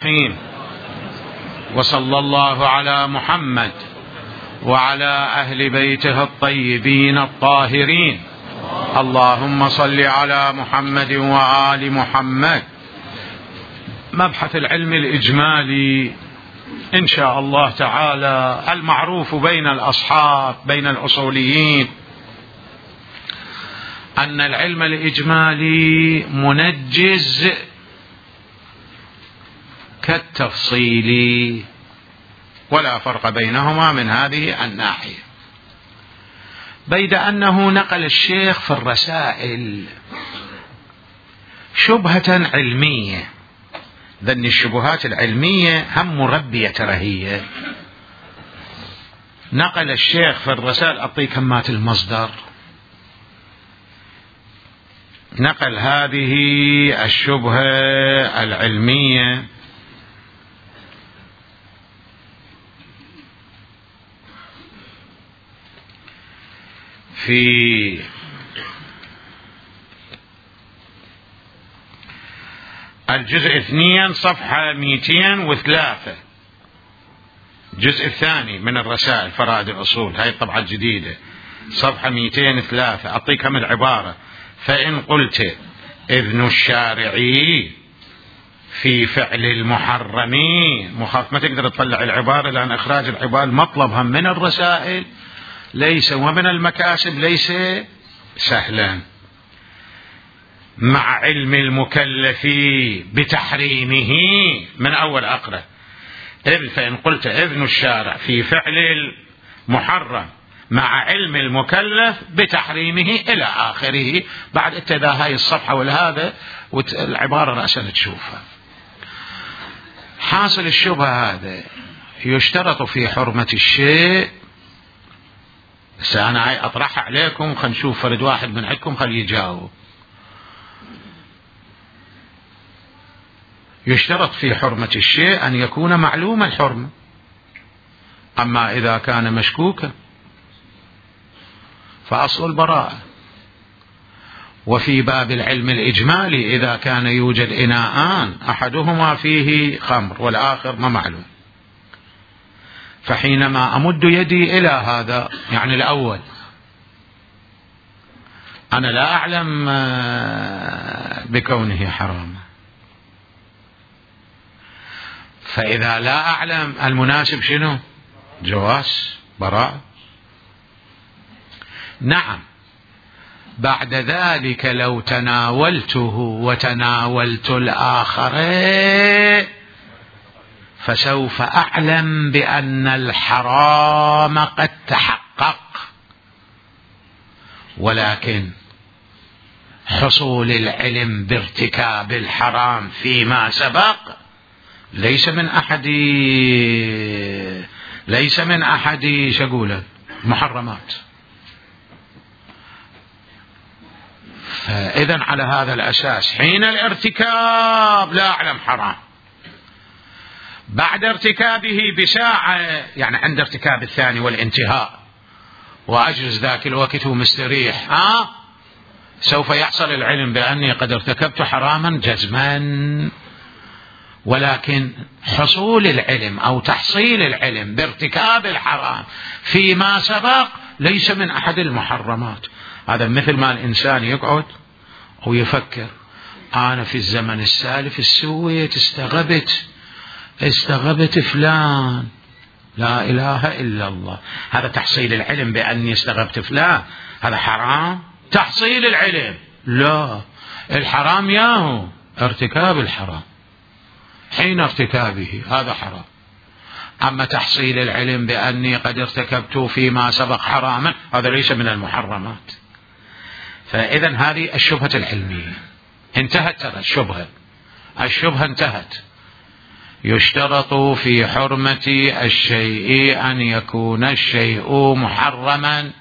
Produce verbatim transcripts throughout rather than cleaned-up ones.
الرحيم. وصلى الله على محمد وعلى أهل بيته الطيبين الطاهرين. اللهم صل على محمد وآل محمد. مبحث العلم الإجمالي إن شاء الله تعالى المعروف بين الأصحاب بين الأصوليين أن العلم الإجمالي منجز كالتفصيل، ولا فرق بينهما من هذه الناحية، بيد أنه نقل الشيخ في الرسائل شبهة علمية. ذن الشبهات العلمية هم مربية رهية. نقل الشيخ في الرسائل، أعطيك كمات المصدر، نقل هذه الشبهة العلمية في الجزء اثنين صفحة مئتين وثلاثة، الجزء الثاني من الرسائل فرائد الأصول، هاي الطبعة الجديدة، صفحة مئتين وثلاثة. أعطيك هم العبارة: فإن قلت إذن الشارعي في فعل المحرمين، مخاف ما تقدر تطلع العبارة لأن إخراج العبارة مطلبها من الرسائل ليس ومن المكاسب ليس سهلا، مع علم المكلف بتحريمه. من أول أقرأ: إذ فإن قلت إذن الشارع في فعل المحرم مع علم المكلف بتحريمه إلى آخره. بعد اتذا هاي الصفحة والهذا والعبارة رأسا تشوفها. حاصل الشبهة هذا: يشترط في حرمة الشيء، أنا هاي أطرحها عليكم، خلينا نشوف فرد واحد من عندكم خلي يجاوب. يشترط في حرمة الشيء أن يكون معلوم الحرمة، أما إذا كان مشكوكا فأصل البراءة. وفي باب العلم الإجمالي إذا كان يوجد إناءان أحدهما فيه خمر والآخر ما معلوم، فحينما أمد يدي إلى هذا، يعني الأول أنا لا أعلم بكونه حرام، فإذا لا أعلم المناسب شنو؟ جواز براءة. نعم، بعد ذلك لو تناولته وتناولت الآخر فسوف أعلم بأن الحرام قد تحقق، ولكن حصول العلم بارتكاب الحرام فيما سبق ليس من أحد ليس من أحد شقولة محرمات. فإذا على هذا الأساس حين الارتكاب لا أعلم حرام، بعد ارتكابه بساعة، يعني عند ارتكاب الثاني والانتهاء وأجلس ذاك الوقت ومستريح، ها سوف يحصل العلم بأني قد ارتكبت حراما جزما. ولكن حصول العلم أو تحصيل العلم بارتكاب الحرام فيما سبق ليس من أحد المحرمات. هذا مثل ما الإنسان يقعد ويفكر: أنا في الزمن السالف السويت استغبت استغبت فلان، لا إله إلا الله. هذا تحصيل العلم بأني استغبت فلان، هذا حرام. تحصيل العلم لا، الحرام ياهو ارتكاب الحرام، حين ارتكابه هذا حرام. أما تحصيل العلم بأني قد ارتكبت فيما سبق حراما هذا ليس من المحرمات. فإذا هذه الشبهة العلمية انتهت. ترى الشبهة الشبهة انتهت. يشترط في حرمة الشيء أن يكون الشيء محرما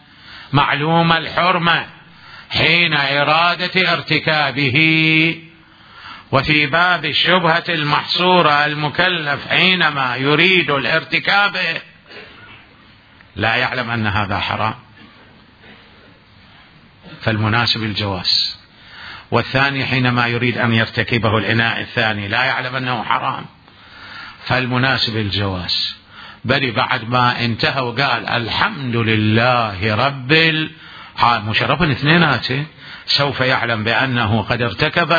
معلوم الحرمة حين إرادة ارتكابه. وفي باب الشبهة المحصورة المكلف حينما يريد الارتكاب لا يعلم أن هذا حرام، فالمناسب الجواز. والثاني حينما يريد أن يرتكبه الإناء الثاني لا يعلم أنه حرام، فالمناسب الجواز. بل بعد ما انتهى وقال الحمد لله رب العالمين مشرفا اثنيناته سوف يعلم بأنه قد ارتكب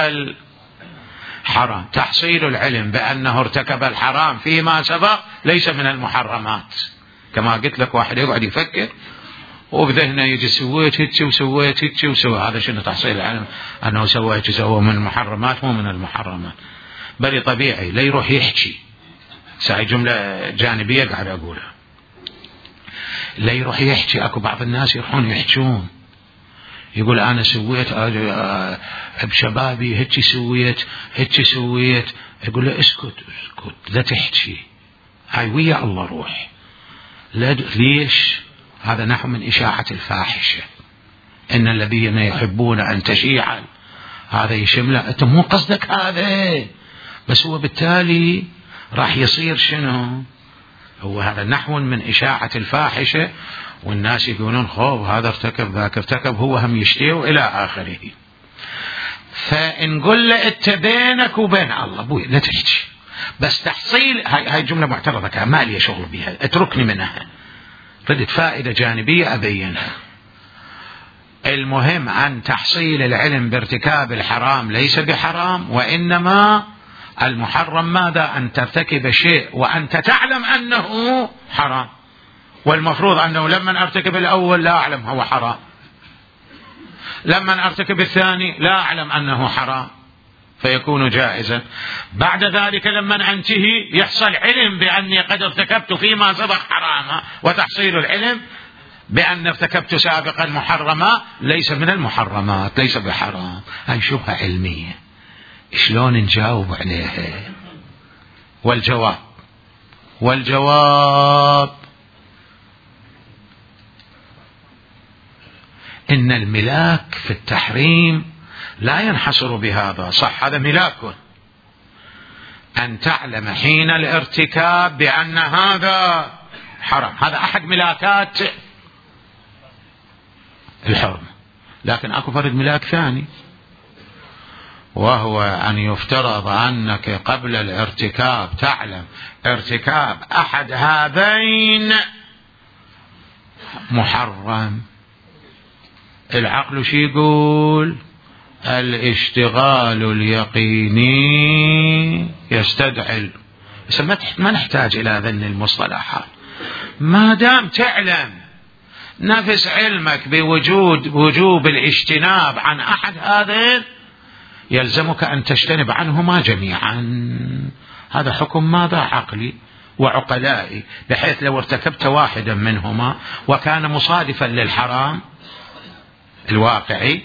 الحرام. تحصيل العلم بأنه ارتكب الحرام فيما سبق ليس من المحرمات. كما قلت لك واحد يقعد يفكر وبذهنه يجي سويت هيك وسويت هيك وسويت، هذا شنو تحصيل العلم؟ أنه سوى هيك سوى من المحرمات مو من المحرمات. بل طبيعي لا يروح يحكي، ساي جملة جانبية قاعد أقولها، لا يروح يحكي. أكو بعض الناس يروحون يحكون، يقول أنا سويت بشبابي هيك سويت هيك سويت، يقول له اسكت اسكت لا تحكي، هاي ويا الله روح. ليش؟ هذا نحو من إشاعة الفاحشة. إن الذين يحبون أن تشيع، هذا يشمله، أنت مو قصدك هذا، بس هو بالتالي راح يصير شنو؟ هو هذا نحو من إشاعة الفاحشة، والناس يقولون خوف هذا ارتكب ذاك ارتكب، هو هم يشتيه إلى آخره. فنقول له أنت بينك وبين الله بوي لا تحكي، بس تحصيل هاي هاي جملة معترضة ما لي شغل بها، اتركني منها، ردت فائدة جانبية أبينها. المهم أن تحصيل العلم بارتكاب الحرام ليس بحرام، وإنما المحرم ماذا؟ أن ترتكب شيء وأنت تعلم أنه حرام، والمفروض أنه لما أرتكب الأول لا أعلم هو حرام، لما أرتكب الثاني لا أعلم أنه حرام، فيكون جائزا. بعد ذلك لما أنتهي يحصل علم بأني قد ارتكبت فيما سبق حراما، وتحصيل العلم بأن ارتكبت سابقا محرما ليس من المحرمات، ليس بحرام. هاي شبهة علمية، شلون نجاوب عليها؟ والجواب والجواب إن الملاك في التحريم لا ينحصر بهذا. صح هذا ملاك، أن تعلم حين الارتكاب بأن هذا حرام، هذا أحد ملاكات الحرم. لكن أكو فرد ملاك ثاني، وهو أن يفترض أنك قبل الارتكاب تعلم ارتكاب أحد هذين محرم. العقل شي يقول؟ الاشتغال اليقيني يستدعي، ما نحتاج إلى ذن المصطلحات، ما دام تعلم نفس علمك بوجود وجوب الاجتناب عن أحد هذين يلزمك أن تجتنب عنهما جميعا. هذا حكم ماذا؟ عقلي وعقلائي، بحيث لو ارتكبت واحدا منهما وكان مصادفا للحرام الواقعي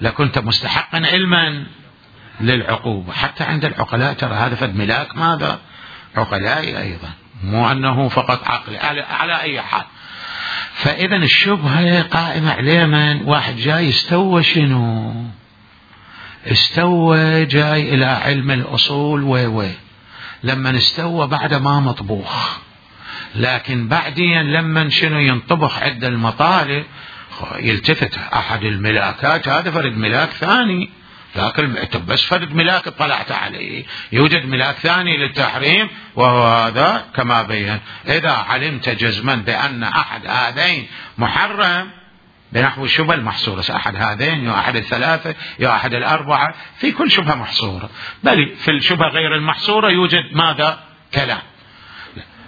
لكنت مستحقا علما للعقوبة. حتى عند العقلاء ترى هذا فد ملاك ماذا؟ عقلائي أيضا، مو أنه فقط عقلي على, على أي حال. فإذا الشبهة قائمة عليه من واحد جاي استوى شنو؟ استوى جاي إلى علم الأصول وي لما استوى بعد ما مطبوخ، لكن بعدين لما شنو ينطبخ عند المطالب يلتفت أحد الملاكات، هذا فرد ملاك ثاني، لكن بس فرد ملاك اطلعت عليه، يوجد ملاك ثاني للتحريم وهو هذا كما بين. إذا علمت جزما بأن أحد هذين محرم بنحو الشبهة المحصورة، أحد هذين يا أحد الثلاثة يا أحد الأربعة، في كل شبهة محصورة، بل في الشبهة غير المحصورة يوجد ماذا؟ كلام.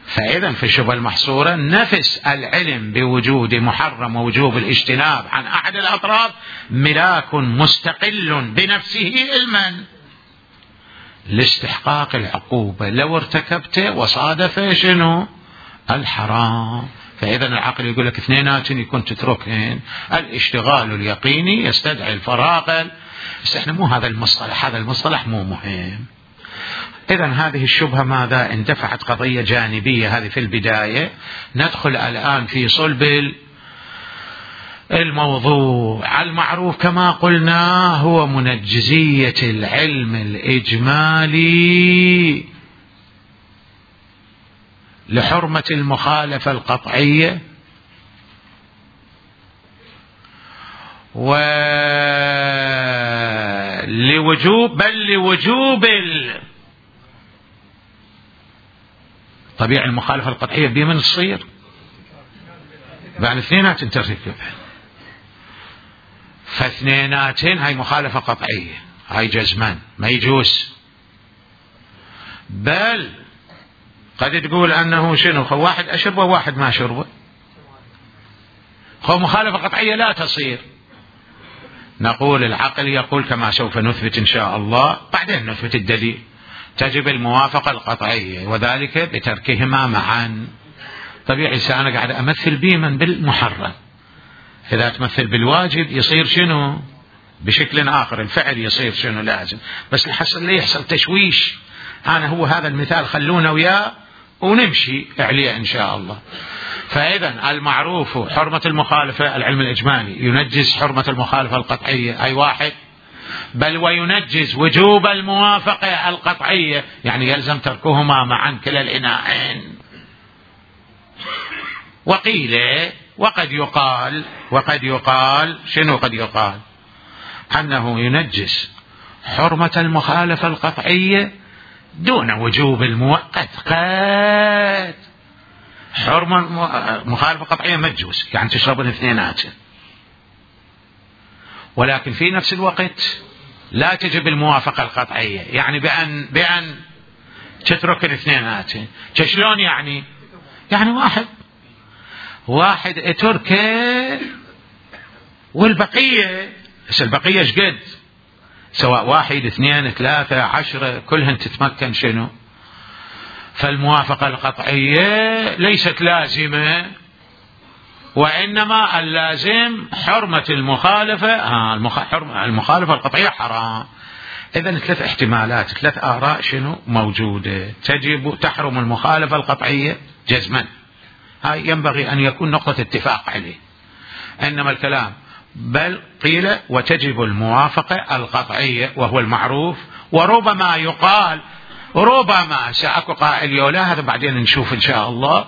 فإذا في الشبهة المحصورة نفس العلم بوجود محرم ووجوب الاجتناب عن أحد الأطراف ملاك مستقل بنفسه علما لاستحقاق العقوبة لو ارتكبت وصادف شنو؟ الحرام. فإذا العقل يقول لك اثنينات يكون تتركهن، الاشتغال اليقيني يستدعي الفراغ. بس احنا مو هذا المصطلح، هذا المصطلح مو مهم. إذن هذه الشبهة ماذا؟ اندفعت قضية جانبية هذه في البداية. ندخل الآن في صلب الموضوع. المعروف كما قلنا هو منجزية العلم الإجمالي لحرمة المخالفة القطعية ولوجوب بل لوجوب طبيعي المخالفة القطعية بمن تصير؟ بأن اثنينات ترتكب، فاثنيناتين هاي مخالفة قطعية، هاي جزمان ما يجوز. بل قد تقول أنه شنو خو واحد أشربه وواحد ما شربه، خو مخالفة قطعية لا تصير. نقول العقل يقول كما سوف نثبت إن شاء الله بعدين نثبت الدليل، تجب الموافقة القطعية وذلك بتركهما معا. طبيعي أنا قاعد أمثل بمن بالمحرم، إذا تمثل بالواجب يصير شنو بشكل آخر، الفعل يصير شنو لازم، بس الحصل ليه يحصل تشويش. أنا هو هذا المثال خلونا وياه ونمشي عليه إن شاء الله. فإذا المعروف حرمة المخالفة العلم الإجمالي ينجز حرمة المخالفة القطعية أي واحد، بل وينجز وجوب الموافقة القطعية، يعني يلزم تركهما معا كلا الإناءين. وقيل وقد يقال وقد يقال شنو قد يقال أنه ينجز حرمة المخالفة القطعية دون وجوب المؤقت. قد حرمة مخالفة قطعية ما تجوز، يعني تشرب الاثنينات، ولكن في نفس الوقت لا تجب الموافقة القطعية، يعني بأن بأن تترك الاثنينات. شلون يعني؟ يعني واحد واحد اتركه والبقية، بس البقية ايش قد؟ سواء واحد اثنين ثلاثة عشرة كلهن تتمكن شنو؟ فالموافقة القطعية ليست لازمة، وإنما اللازم حرمة المخالفة. آه المخالفة القطعية حرام. إذن ثلاث احتمالات، ثلاث آراء شنو موجودة. تجب تحرم المخالفة القطعية جزما، هاي ينبغي أن يكون نقطة اتفاق عليه. إنما الكلام بل قيل وتجب الموافقة القطعية وهو المعروف. وربما يقال ربما سأكو قائل يولا هذا بعدين نشوف إن شاء الله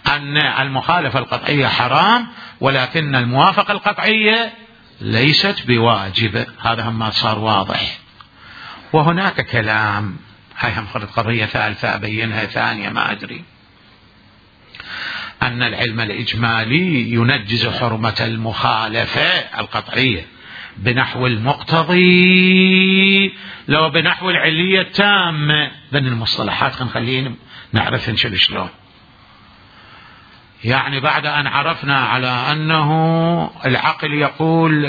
أن المخالفة القطعية حرام ولكن الموافقة القطعية ليست بواجبة. هذا هم صار واضح. وهناك كلام، هاي هم فرض قضية ثالثة أبينها ثانية ما أدري، أن العلم الإجمالي ينجز حرمة المخالفة القطعية بنحو المقتضي لو بنحو العلية التامة. ذن المصطلحات خلينا نعرفها شلون. يعني بعد أن عرفنا على أنه العقل يقول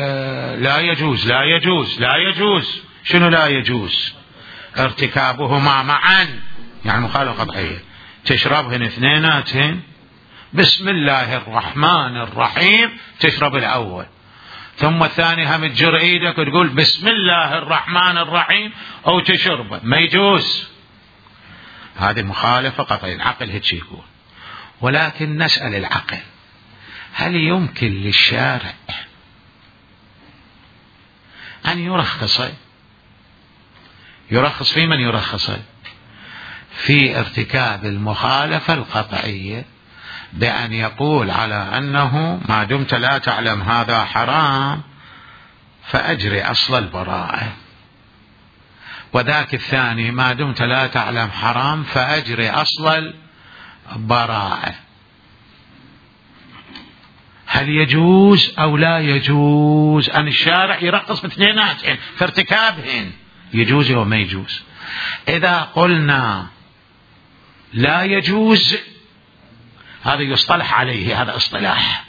لا يجوز لا يجوز لا يجوز، شنو لا يجوز؟ ارتكابهما معا، يعني مخالفة قطعية. تشربهن اثنيناتهن بسم الله الرحمن الرحيم، تشرب الأول ثم الثاني هم تجر ايدك وتقول بسم الله الرحمن الرحيم او تشربه، ما يجوز. هذه مخالفة قطعية، العقل هيك يقول. ولكن نسأل العقل هل يمكن للشارع أن يرخص يرخص في من يرخص في ارتكاب المخالفة القطعية بأن يقول على أنه ما دمت لا تعلم هذا حرام فأجري أصل البراءة، وذاك الثاني ما دمت لا تعلم حرام فأجري أصل البراءة. هل يجوز أو لا يجوز أن الشارع يرخص باثنيناتهن في ارتكابهن؟ يجوز أو ما يجوز؟ إذا قلنا لا يجوز هذا يصطلح عليه، هذا اصطلاح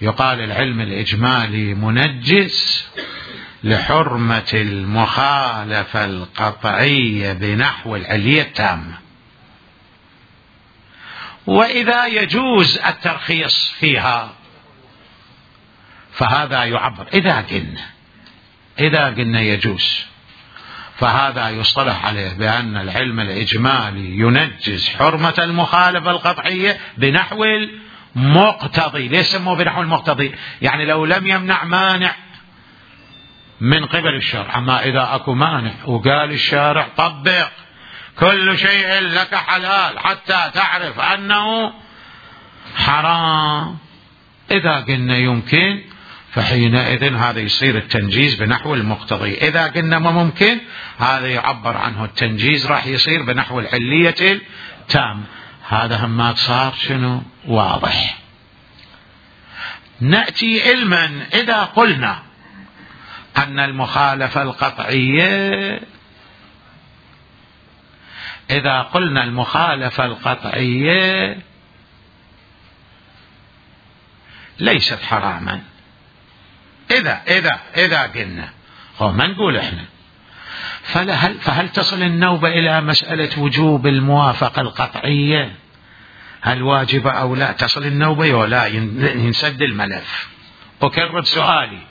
يقال العلم الإجمالي منجز لحرمة المخالفة القطعية بنحو العلية التامة. وإذا يجوز الترخيص فيها فهذا يعبر. إذا قلنا إذا قلنا يجوز فهذا يصطلح عليه بأن العلم الإجمالي ينجز حرمة المخالفة القطعية بنحو المقتضي. ليش سموه بنحو المقتضي؟ يعني لو لم يمنع مانع من قبل الشرع، أما إذا أكو مانع وقال الشارع طبق كل شيء لك حلال حتى تعرف أنه حرام، إذا قلنا يمكن فحينئذ هذا يصير التنجيز بنحو المقتضي. إذا قلنا ما ممكن، هذا يعبر عنه التنجيز راح يصير بنحو العلية التام. هذا هم صار شنو واضح. نأتي علما إذا قلنا أن المخالفة القطعية إذا قلنا المخالفة القطعية ليست حراما، إذا إذا إذا قلنا هو ما نقول إحنا، فهل فهل تصل النوبة إلى مسألة وجوب الموافقة القطعية؟ هل واجبة أو لا؟ تصل النوبة ولا ينسد الملف. أكرر سؤالي،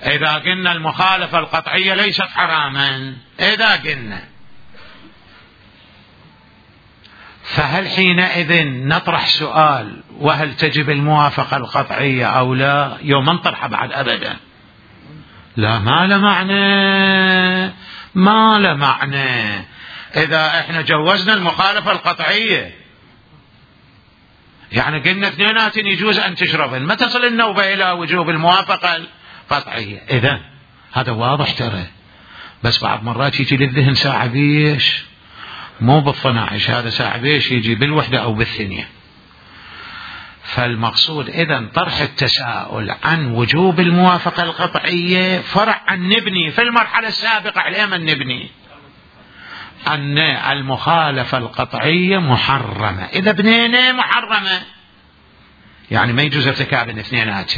إذا قلنا المخالفة القطعية ليست حراما، إذا قلنا، فهل حينئذ نطرح سؤال وهل تجب الموافقة القطعية أو لا؟ يوم نطرحها بعد أبدا. لا، ما له معنى، ما له معنى. إذا إحنا جوزنا المخالفة القطعية يعني قلنا اثنينات يجوز أن تشربن، ما تصل النوبة إلى وجوب الموافقة القطعية. إذا هذا واضح ترى، بس بعض مرات يجي للذهن ساعة بيش، مو بالصناعش، هذا ساعة بيش يجي بالوحدة أو بالثنية. فالمقصود إذن طرح التساؤل عن وجوب الموافقة القطعية فرع عن نبني في المرحلة السابقة على من نبني أن المخالفة القطعية محرمة. إذا بنينا محرمة يعني ما يجوز ارتكاب الاثنينات.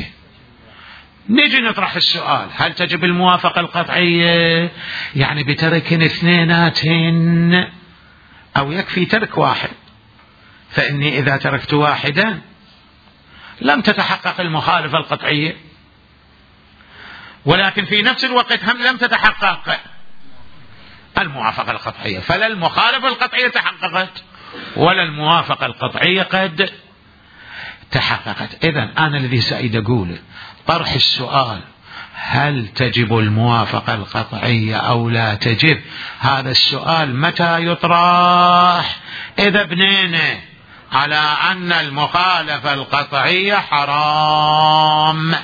نجي نطرح السؤال هل تجب الموافقة القطعية يعني بترك اثنينات أو يكفي ترك واحد؟ فإني إذا تركت واحدا لم تتحقق المخالفة القطعية، ولكن في نفس الوقت هم لم تتحقق الموافقة القطعية، فلا المخالفة القطعية تحققت ولا الموافقة القطعية قد تحققت. إذن أنا الذي سأريد أقوله طرح السؤال هل تجب الموافقة القطعية أو لا تجب، هذا السؤال متى يطرح؟ إذا بنينا على أن المخالفة القطعية حرام.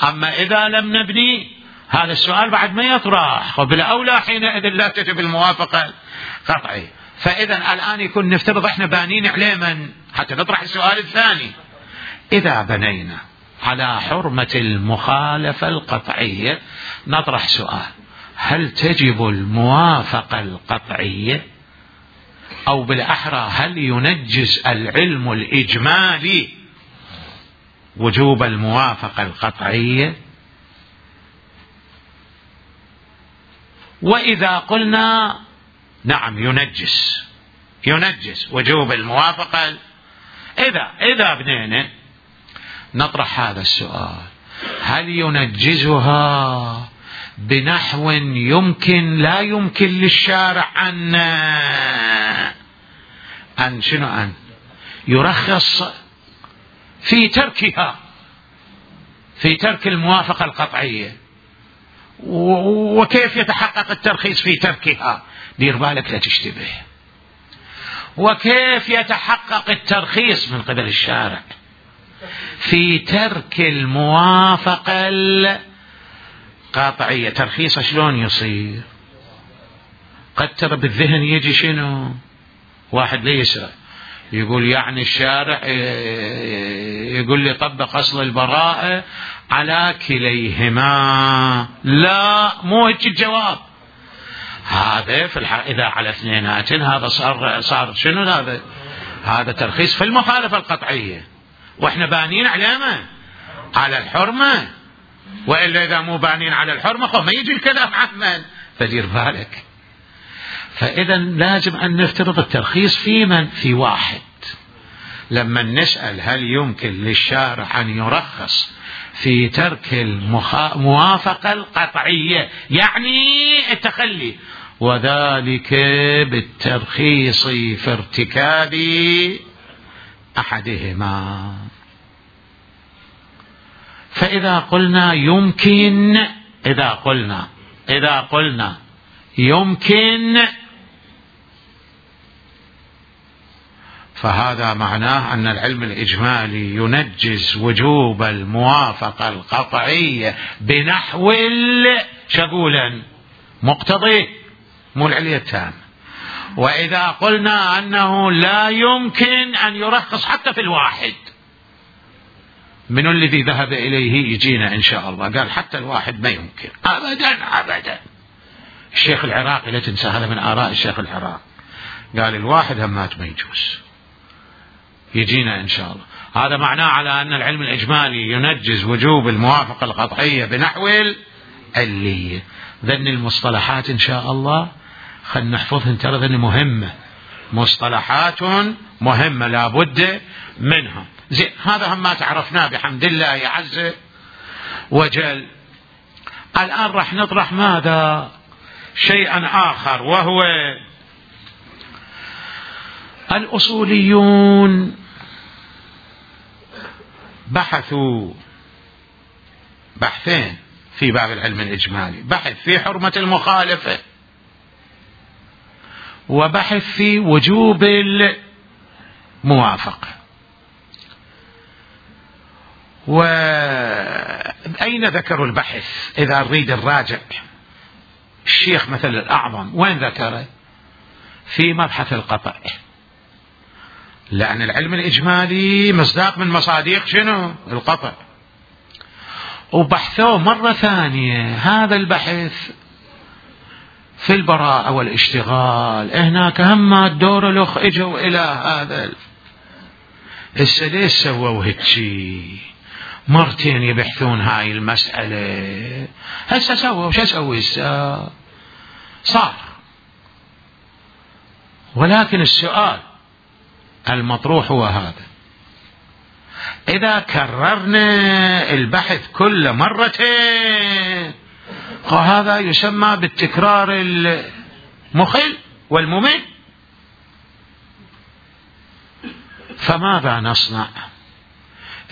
أما إذا لم نبني هذا السؤال بعد ما يطرح، وبالأولى حينئذ لا تجب الموافقة القطعية. فإذا الآن يكون نفترض إحنا بانين عليه من حتى نطرح السؤال الثاني. إذا بنينا على حرمة المخالفة القطعية نطرح سؤال هل تجب الموافقة القطعية، أو بالأحرى هل ينجز العلم الإجمالي وجوب الموافقة القطعية؟ وإذا قلنا نعم ينجز ينجز وجوب الموافقة، إذا إذا بنينا نطرح هذا السؤال هل ينجزها بنحو يمكن لا يمكن للشارع أن أن شنو أن يرخص في تركها، في ترك الموافقة القطعية؟ وكيف يتحقق الترخيص في تركها؟ دير بالك لا تشتبه. وكيف يتحقق الترخيص من قبل الشارع في ترك الموافقة القطعية؟ ترخيص شلون يصير؟ قد ترى بالذهن يجي شنو واحد ليسرع يقول يعني الشارع يقول لي طبق أصل البراءة على كليهما. لا، مو هيك الجواب. هذا في الحق إذا على اثنينات هذا صار صار شنو هذا؟ هذا ترخيص في المخالفة القطعية، واحنا بانين على ما على الحرمة، وإلا إذا مو بانين على الحرمة ما يجي الكلام عن. فدير بالك. فإذا لازم أن نفترض الترخيص في من؟ في واحد. لما نسأل هل يمكن للشارع أن يرخص في ترك الموافقة القطعية يعني التخلي، وذلك بالترخيص في ارتكاب أحدهما. فإذا قلنا يمكن إذا قلنا إذا قلنا يمكن فهذا معناه أن العلم الإجمالي ينجز وجوب الموافقة القطعية بنحو شقولا مقتضي مو العلية التام. وإذا قلنا أنه لا يمكن أن يرخص حتى في الواحد، من الذي ذهب إليه يجينا إن شاء الله قال حتى الواحد ما يمكن أبدا أبدا. الشيخ العراقي لا تنسى هذا من آراء الشيخ العراقي، قال الواحد همات ما يجوز، يجينا إن شاء الله. هذا معناه على أن العلم الإجمالي ينجز وجوب الموافقة القطعية بنحو العلية. ذن المصطلحات إن شاء الله خلنا نحفظهن، ترى ذن مهمة، مصطلحات مهمة لابد منها. زين، هذا هم ما تعرفناه بحمد الله عز وجل. الآن راح نطرح ماذا؟ شيئا آخر، وهو الأصوليون بحثوا بحثين في باب العلم الإجمالي، بحث في حرمة المخالفة وبحث في وجوب الموافقة. وأين ذكروا البحث؟ إذا نريد الراجع الشيخ مثل الأعظم وين ذكره؟ في مبحث القطع، لأن العلم الإجمالي مصداق من مصادق شنو؟ القطع. وبحثوه مرة ثانية هذا البحث في البراءة والاشتغال، هناك هم الدور الأخ اجوا إلى هذا هسه ليش سووا هيك مرتين يبحثون هاي المسألة؟ هسه سووا شو اسوي هسه؟ صار. ولكن السؤال المطروح هو هذا: إذا كررنا البحث كل مرتين فهذا يسمى بالتكرار المخل والممل، فماذا نصنع؟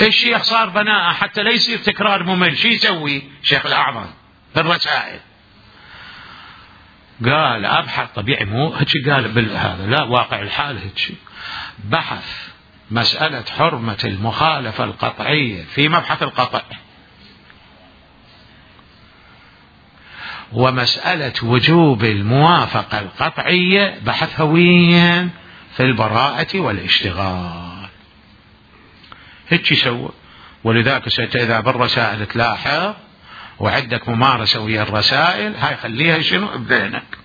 الشيخ صار بناء حتى لا يصير تكرار ممل، شو يسوي شيخ الأعظم في الرسائل؟ قال أبحث، طبيعي مو هيك قال بالهذا، لا واقع الحال هيك، بحث مسألة حرمة المخالفة القطعية في مبحث القطع، ومسألة وجوب الموافقة القطعية بحثها وين؟ في البراءة والاشتغال. هيك يسوي. ولذلك إذا بالرسائل تلاحظ وعندك ممارسة ويا الرسائل هاي خليها شنو بذهنك،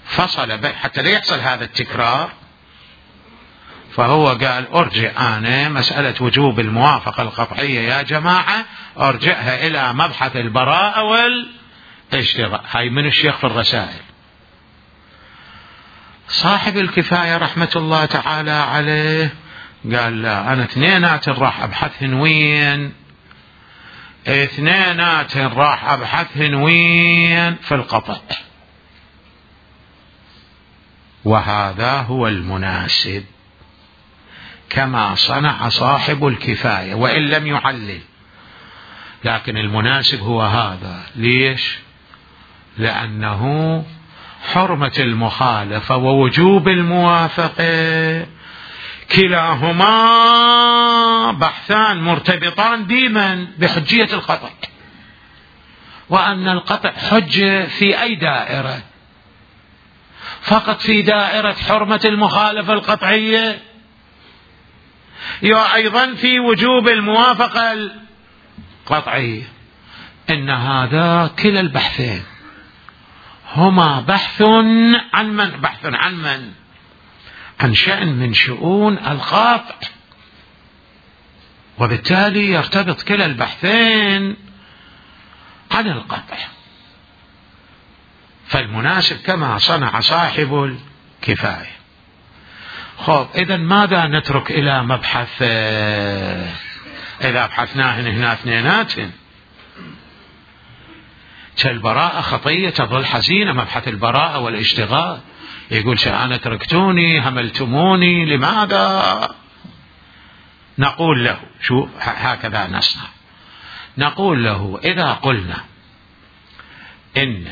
فصل حتى لا يحصل هذا التكرار. فهو قال أرجع أنا مسألة وجوب الموافقة القطعية يا جماعة أرجعها إلى مبحث البراءة والاشتغال. هاي من الشيخ في الرسائل. صاحب الكفاية رحمة الله تعالى عليه قال لا، أنا اثنينات راح أبحثهن وين؟ اثنينات راح أبحثهن وين؟ في القطع. وهذا هو المناسب كما صنع صاحب الكفاية وإن لم يعلل، لكن المناسب هو هذا. ليش؟ لأنه حرمة المخالفة ووجوب الموافقة كلاهما بحثان مرتبطان ديما بحجية القطع، وأن القطع حجة في أي دائرة؟ فقط في دائرة حرمة المخالفة القطعية، يا أيضا في وجوب الموافقة القطعية. إن هذا كلا البحثين هما بحث عن من؟ بحث عن من؟ عن شأن من شؤون القطع، وبالتالي يرتبط كلا البحثين عن القطع. فالمناسب كما صنع صاحب الكفاية. خب إذا ماذا نترك إلى مبحث إذا بحثناهن هنا اثنيناتهن؟ كالبراءة خطية تظل حزينة، مبحث البراءة والاشتغال يقول أنا تركتوني هملتموني لماذا؟ نقول له شو هكذا نصنع، نقول له إذا قلنا إن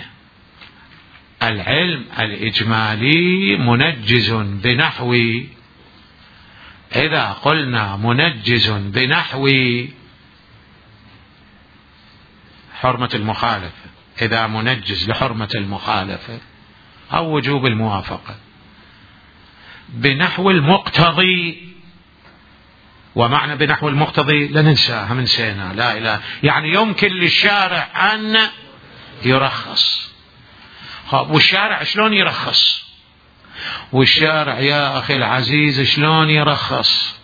العلم الإجمالي منجز بنحو، إذا قلنا منجز بنحو حرمة المخالفة، إذا منجز لحرمة المخالفة أو وجوب الموافقة بنحو المقتضي. ومعنى بنحو المقتضي لا ننساها، منسينا لا إله، يعني يمكن للشارع أن يرخص. والشارع شلون يرخص؟ والشارع يا أخي العزيز شلون يرخص؟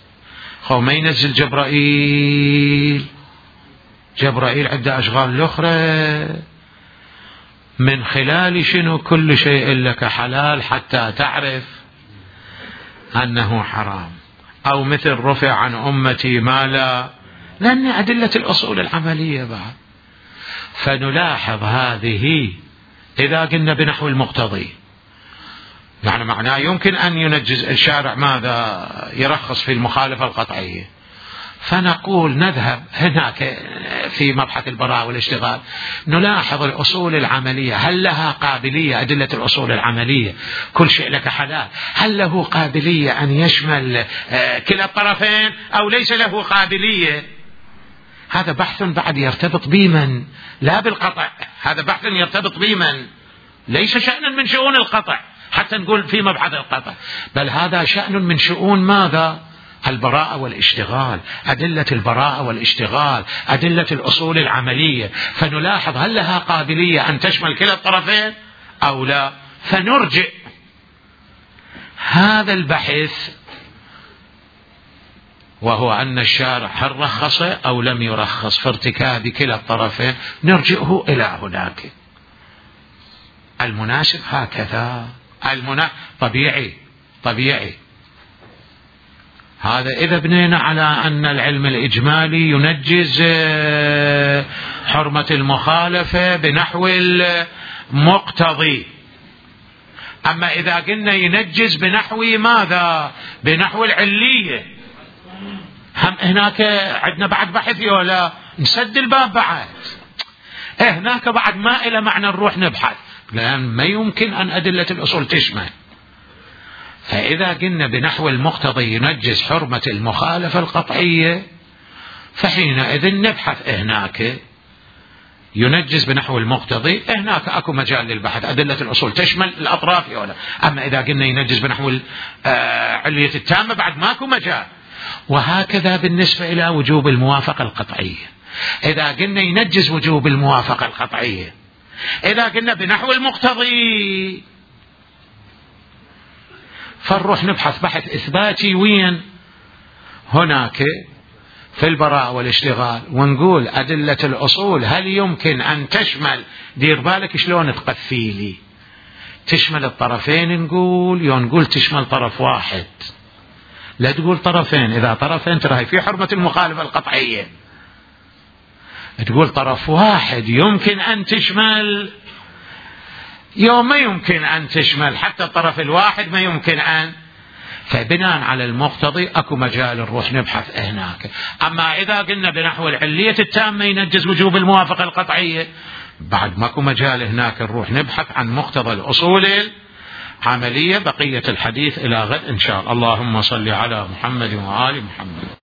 خو ما ينزل جبرائيل، جبرائيل عنده أشغال الأخرى، من خلال شنو؟ كل شيء لك حلال حتى تعرف أنه حرام. أو مثل رفع عن أمتي ما لا، لأن أدلة الأصول العملية بعد. فنلاحظ هذه إذا قلنا بنحو المقتضي، يعني معناه يمكن أن ينجز الشارع ماذا؟ يرخص في المخالفة القطعية. فنقول نذهب هناك في مبحث البراءة والاشتغال نلاحظ الأصول العملية، هل لها قابلية؟ أدلة الأصول العملية كل شيء لك حلال، هل له قابلية أن يشمل كلا الطرفين أو ليس له قابلية؟ هذا بحث بعد يرتبط بمن؟ لا بالقطع، هذا بحث يرتبط بمن؟ ليس شأنا من شؤون القطع حتى نقول في مبحث القطع، بل هذا شأن من شؤون ماذا؟ البراءة والاشتغال، أدلة البراءة والاشتغال، أدلة الأصول العملية. فنلاحظ هل لها قابلية أن تشمل كلا الطرفين أو لا، فنرجع هذا البحث، وهو أن الشارع هل رخص أو لم يرخص في ارتكاب كلا الطرفين، نرجعه إلى هناك. المناسب هكذا، المنا... طبيعي طبيعي. هذا إذا بنينا على أن العلم الإجمالي ينجز حرمة المخالفة بنحو المقتضي. أما إذا قلنا ينجز بنحو ماذا؟ بنحو العلية، هم هناك عندنا بعد بحث ولا نسد الباب بعد؟ هناك بعد ما إلى معنى نروح نبحث، لأن ما يمكن أن أدلة الأصول تشمل. فإذا قلنا بنحو المقتضي ينجز حرمة المخالفة القطعية، فحينئذ نبحث هناك ينجز بنحو المقتضي، هناك أكو مجال للبحث، أدلة الأصول تشمل الأطراف ولا. أما إذا قلنا ينجز بنحو العلية التامة بعد ماكو مجال. وهكذا بالنسبة إلى وجوب الموافقة القطعية، إذا قلنا ينجز وجوب الموافقة القطعية، إذا قلنا بنحو المقتضي، فنروح نبحث بحث إثباتي وين؟ هناك في البراءة والاشتغال، ونقول أدلة الأصول هل يمكن أن تشمل، دير بالك شلون تقفيلي، تشمل الطرفين نقول، يو نقول تشمل طرف واحد، لا تقول طرفين. إذا طرفين ترى في حرمة المخالفة القطعية، تقول طرف واحد يمكن أن تشمل، يوم ما يمكن أن تشمل حتى الطرف الواحد ما يمكن أن. فبناء على المقتضي أكو مجال نروح نبحث هناك. أما إذا قلنا بنحو العلية التامة ينجز وجوب الموافقة القطعية، بعد ماكو مجال هناك نروح نبحث عن مقتضى الأصول العملية. بقية الحديث إلى غد إن شاء الله. اللهم صل على محمد وآل محمد.